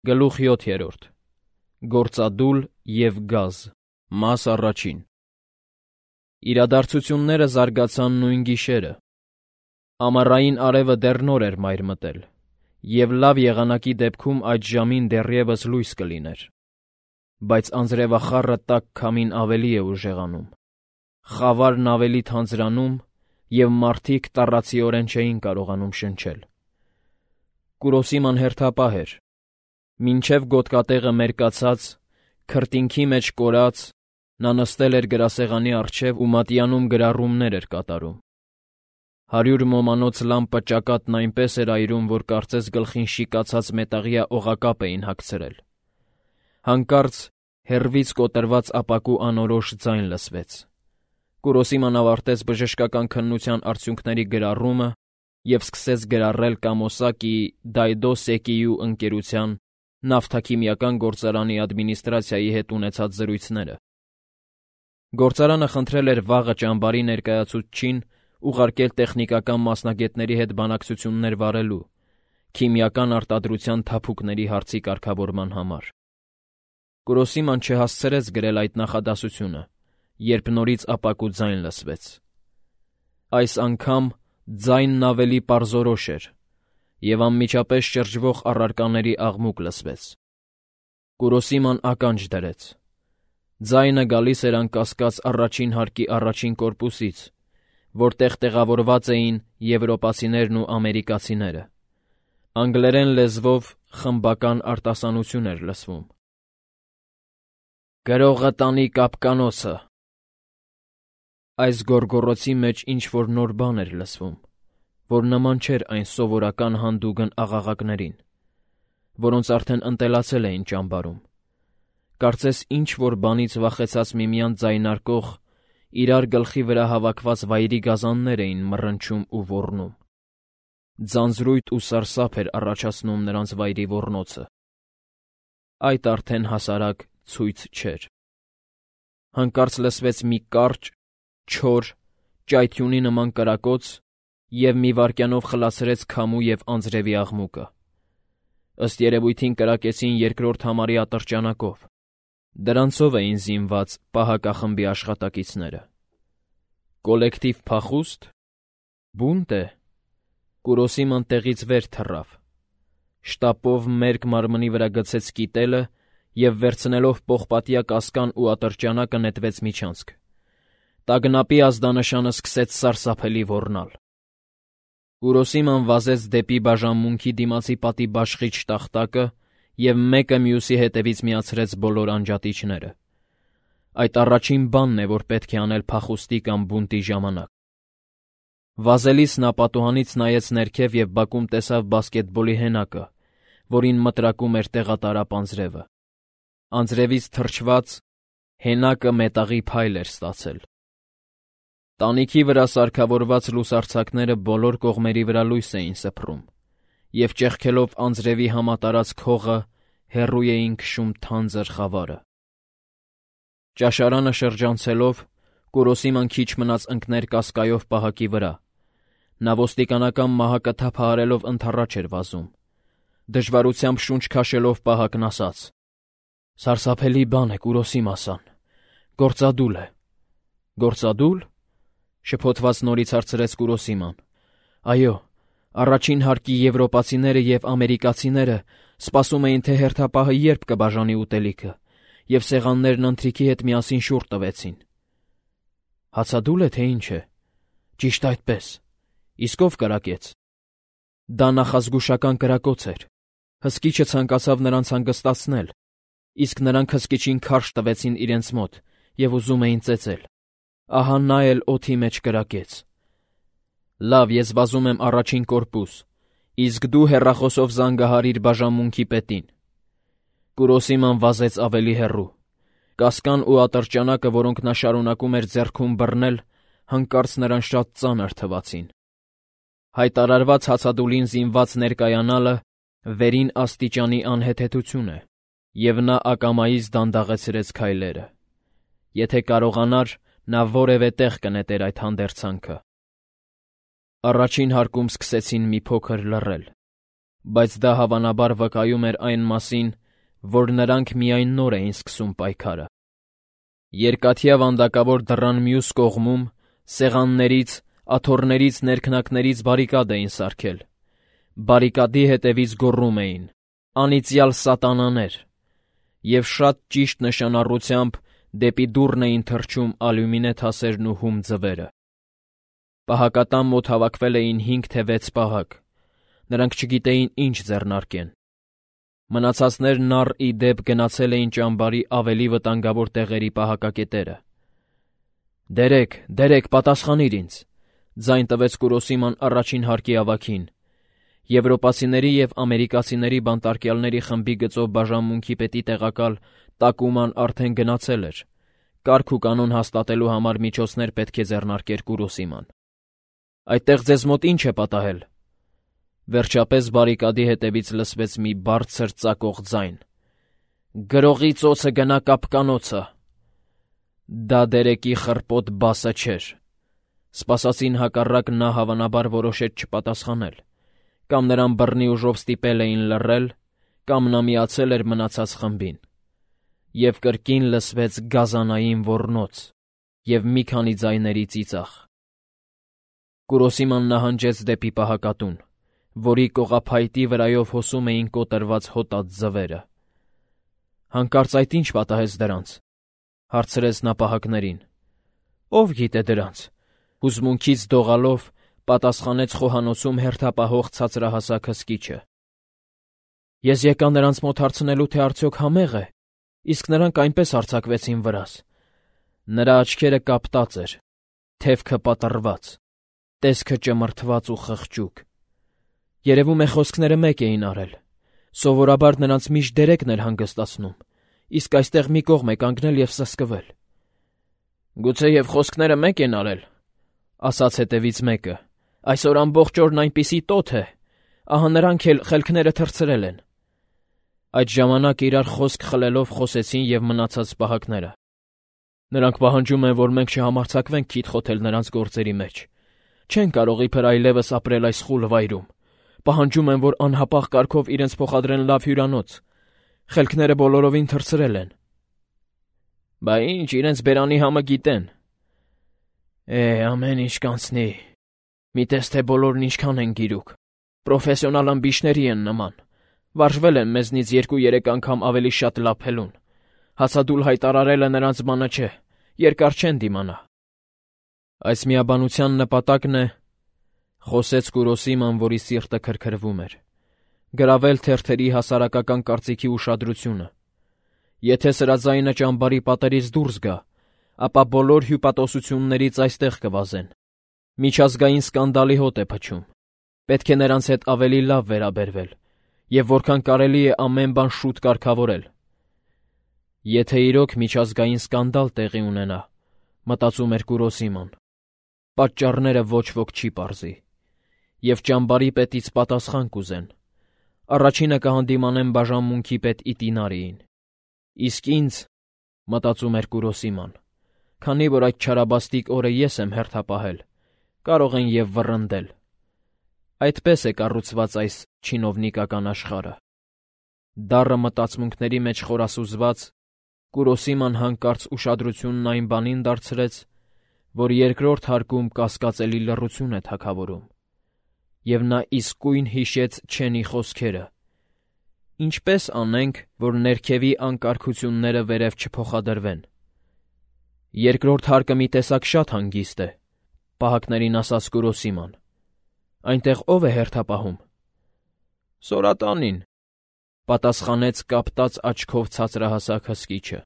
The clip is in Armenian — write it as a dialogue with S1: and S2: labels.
S1: Գլուխ 7. Գործադուլ և գազ, մաս առաջին։ Իրադարձությունները զարգացան նույն գիշերը։ Ամառային արևը դեռ նոր էր մայր մտել, և լավ եղանակի դեպքում այդ ժամին դեռևս լույս կլիներ։ Բայց անձրևախառը տաք քամին ավելի է ուժեղանում, խավարն ավելի թանձրանում, և մարդիկ տառացիորեն չէին կարողանում շնչել։ Կուրոսիման հերթապահ էր։ Մինչև գոտկատեղը մերկացած, քրտինքի մեջ կորած, նա նստել էր գրասեղանի առջև ու մատյանում գրառումներ էր կատարում։ 100 մոմանոց լամպը ճակատն այնպես էր այրում, որ կարծես գլխին շիկացած մետաղյա օղակապ էին հագցրել։ Հանկարծ հեռվից կոտրված ապակու անորոշ ձայն լսվեց։ Կուրոսիման ավարտեց բժշկական քննության արդյունքների գրառումը և սկսեց գրառել Կամոսակիի Դայդո Սեկիյու ընկերության նավթաքիմիական գործարանի ադմինիստրացիայի հետ ունեցած զրույցները։ Գործարանը խնդրել էր վաղը ճամբարի ներկայացուցչին ուղարկել տեխնիկական մասնագետների հետ բանակցություններ վարելու, քիմիական արտադրության թափուկների հարցի կարգավորման համար։ Կուրոսիման չհասցրեց գրել այդ նախադասությունը, երբ նորից ապակու ձայն լսվեց։ Այս անգամ ձայնն ավելի պարզորոշ էր, և անմիջապես շրջվող առարկաների աղմուկ լսվեց։ Կուրոսիման ականջ դրեց։ Ձայնը գալիս էր անկասկած առաջին հարկի առաջին կորպուսից, որտեղ տեղավորված էին եվրոպացիներն ու ամերիկացիները։ Անգլերեն լեզվով խմբական արտասանություն էր լսվում. «Գրողը տանի կապկանոցը»։ Այս գոռգոռոցի մեջ ինչ-որ նոր բան էր լսվում, որ նման չէր այն սովորական հանդուգն աղաղակներին, որոնց արդեն ընտելացել էին ճամբարում։ Կարծես ինչ-որ բանից վախեցած միմյանց ձայնարկող, իրար գլխի վրա հավաքված վայրի գազաններ էին մռնչում ու ոռնում։ Ձանձրույթ ու սարսափ էր առաջացնում նրանց վայրի ոռնոցը։ Այդ արդեն հասարակ ցույց չէր։ Հանկարծ լսվեց մի կարճ, չոր, ճայթյունի նման կրակոց և մի վայրկյանով խլացրեց քամու և անձրևի աղմուկը։ Ըստ երևույթին կրակեցին երկրորդ համարի ատրճանակով։ Դրանցով էին զինված պահակախմբի աշխատակիցները։ Կոլեկտիվ փախո՞ւստ։ Բունտ է։ Կուրոսիման տեղից վեր թռավ։ Շտապով մերկ մարմնի վրա գցեց կիտելը և վերցնելով պողպատյա կասկան ու ատրճանակը նետվեց միջանցք։ Տագնապի ազդանշանը սկսեց սարսափելի ոռնալ։ Կուրոսիման վազեց դեպի բաժանմունքի դիմացի պատի բաշխիչ տախտակը և մեկը մյուսի հետևից միացրեց բոլոր անջատիչները։ Այդ առաջին բանն է, որ պետք է անել փախուստի կամ բունտի ժամանակ։ Վազելիս նա պատուհանից նայեց ներքև և բակում տեսավ բասկետբոլի հենակը, որին մտրակում էր տեղատարապ անձրևը։ Անձրևից թրջված, հենակը մետաղի փայլ էր ստացել։ Տանիքի վրա սարքավորված լուսարձակները բոլոր կողմերի վրա լույս էին սփռում, և ճեղքելով անձրևի համատարած քողը հեռու էին քշում թանձր խավարը։ Ճաշարանը շրջանցելով, Կուրոսիման քիչ մնաց ընկներ կասկայով պահակի վրա։ Նա ոստիկանական մահակը թափահարելով ընդառաջ էր վազում։ Դժվարությամբ շունչ քաշելով պահակն ասաց. «Սարսափելի բան է, Կուրոսիմասան, գործադուլ է»։ «Գործադու՞լ»։ Շփոթված նորից հարցրեց Կուրոսիման։ Այո, առաջին հարկի եվրոպացիները և ամերիկացիները սպասում էին, թե հերթապահը երբ կբաժանի ուտելիքը, և սեղաններն ընթրիքի հետ միասին շուռ տվեցին։ Հացադուլ է, թե ինչ է։ Ճիշտ այդպես։ Իսկ ով կրակեց։ Դա նախազգուշական կրակոց էր։ Հսկիչը ցանկացավ նրանց հանգստացնել, իսկ նրանք հսկիչին քարշ տվեցին իրենց մոտ և ուզում էին ծեծել։ Ահա նա էլ օդի մեջ կրակեց։ Լավ, ես վազում եմ առաջին կորպուս, իսկ դու հեռախոսով զանգահարիր բաժանմունքի պետին։ Կուրոսիման վազեց ավելի հեռու։ Կասկան ու ատրճանակը, որոնք նա շարունակում էր ձեռքում բռնել, հանկարծ նրան շատ ծանր թվացին։ Հայտարարված հացադուլին զինված ներկայանալը վերին աստիճանի անհեթեթություն է, և նա ակամայից դանդաղեցրեց քայլերը։ Եթե կարողանար, նա որևէ տեղ կնետեր այդ հանդերձանքը։ Առաջին հարկում սկսեցին մի փոքր լռել։ բայց դա հավանաբար վկայում էր այն մասին, որ նրանք միայն նոր էին սկսում պայքարը։ Երկաթյա վանդակավոր դռան մյուս կողմում սեղաններից, աթոռներից, ներքնակներից բարիկադ էին սարքել։ Բարիկադի հետևից գոռում էին. «Անիծյալ սատանաներ», և շատ ճիշտ նշանառությամբ դեպի դուռն էին թռչում ալյումինե թասերն ու հում ձվերը։ Պահակատան մոտ հավաքվել էին 5 թե 6 պահակ։ Նրանք չգիտեին ինչ ձեռնարկեն։ Մնացածներն առ ի դեպ գնացել էին ճամբարի ավելի վտանգավոր տեղերի պահակակետերը։ «Դերեկ, պատասխանիր ինձ», ձայն տվեց Կուրոսիման առաջին հարկի ավագին։ Եվրոպացիների և ամերիկացիների բանտարկյալների խմբի գծով բաժանմունքի պետի տեղակալ Տակուման արդեն գնացել էր։ Կարգ ու կանոն հաստատելու համար միջոցներ պետք է ձեռնարկեր Կուրոսիման։ «Այդտեղ ձեզ մոտ ի՞նչ է պատահել»։ Վերջապես բարիկադի հետևից լսվեց մի բարձր ծակող ձայն. «Գրողի ծոցը գնա կապկանոցը»։ Դա Դերեկի խռպոտ բասը չէր։ Սպասածին հակառակ նա հավանաբար որոշեց չպատասխանել։ Կամ նրան բռնի ուժով ստիպել էին լռել, կամ նա միացել էր մնացած խմբին։ Եվ կրկին լսվեց գազանային ոռնոց և մի քանի ձայների ծիծաղ։ Կուրոսիման նահանջեց դեպի պահակատուն, որի կողափայտի վրայով հոսում էին կոտրված հոտած ձվերը։ «Հանկարծ այդ ի՞նչ պատահեց դրանց», հարցրեց նա պահակներին։ «Ով գիտե դրանց», հուզմունքից դողալով պատասխանեց խոհանոցում հերթապահող ցածրահասակ հսկիչը։ «Ես եկա նրանց մոտ հարցնելու, թե արդյոք համե՞ղ է, իսկ նրանք այնպես արձակվեցին վրաս»։ Նրա աչքերը կապտած էր, թևքը պատռված, տեսքը ճմրթված ու խղճուկ։ Երևում է խոսքները մեկ էին արել։ Սովորաբար նրանց միշտ Դերեկն էր հանգստացնում, իսկ այստեղ մի կողմ է կանգնել և սսկվել։ «Գուցեև խոսքները մեկ են արել», ասաց հետևից մեկը։ «Այսօր ամբողջ օրն այնպիսի տոթ է, ահա նրանք էլ խելքները թռցրել են»։ Այդ ժամանակ իրար խոսք խլելով խոսեցին և մնացած պահակները։ «Նրանք պահանջում են, որ մենք չհամարձակվենք քիթ խոթել նրանց գործերի մեջ։ Չեն կարող իբր այլևս ապրել այս խուլ վայրում։ Պահանջում են, որ անհապաղ կարգով իրենց փոխադրեն լավ հյուրանոց։ Խելքները բոլորովին թռցրել են»։ «Բա ինչ, իրենց բերանի համը գիտեն»։ Ամեն ինչ կանցնի։ Մի տես թե բոլորն ինչքան են գիրուկ։ Պրոֆեսիոնալ ըմբիշների են նման։ Վարժվել են մեզնից 2-3 անգամ ավելի շատ լափելուն։ Հացադուլ հայտարարելը նրանց բանը չէ, երկար չեն դիմանա։ «Այս միաբանության նպատակն է», խոսեց Կուրոսիման, որի սիրտը քրքրվում էր, «գրավել թերթերի հասարակական կարծիքի ուշադրությունը։ Եթե սրա ձայնը ճամբարի պատերից դուրս գա, ապա բոլոր հյուպատոսություններից այստեղ կվազեն։ Միջազգային սկանդալի հոտ է փչում։ Պետք է նրանց հետ ավելի լավ վերաբերվել և որքան կարելի է ամեն բան շուտ կարգավորել։ Եթե իրոք միջազգային սկանդալ տեղի ունենա, մտածում էր Կուրոսիման, պատճառները ոչ ոք չի պարզի, և ճամբարի պետից պատասխան կուզեն։ Առաջինը կհանդիմանեն բաժանմունքի պետ Իտինարիին։ Իսկ ինձ, մտածում էր Կուրոսիման, քանի որ այդ չարաբաստիկ օրը ես եմ հերթապահել, կարող են և վռնդել։ Այդպես է կառուցված այս չինովնիկական աշխարհը։ Դառը մտածմունքների մեջ խորասուզված, Կուրոսիման հանկարծ ուշադրությունն այն բանին դարձրեց, որ երկրորդ հարկում կասկածելի լռություն է թագավորում, և նա իսկույն հիշեց Չենի խոսքերը. «Ինչպե՞ս անենք, որ ներքևի անկարգությունները վերև չփոխադրվեն»։ «Երկրորդ հարկը մի տեսակ շատ հանգիստ է», պահակներին ասաց Կուրոսիման։ «Այնտեղ ո՞վ է հերթապահում»։ «Սորատանին», պատասխանեց կապտած աչքով ցածրահասակ հսկիչը։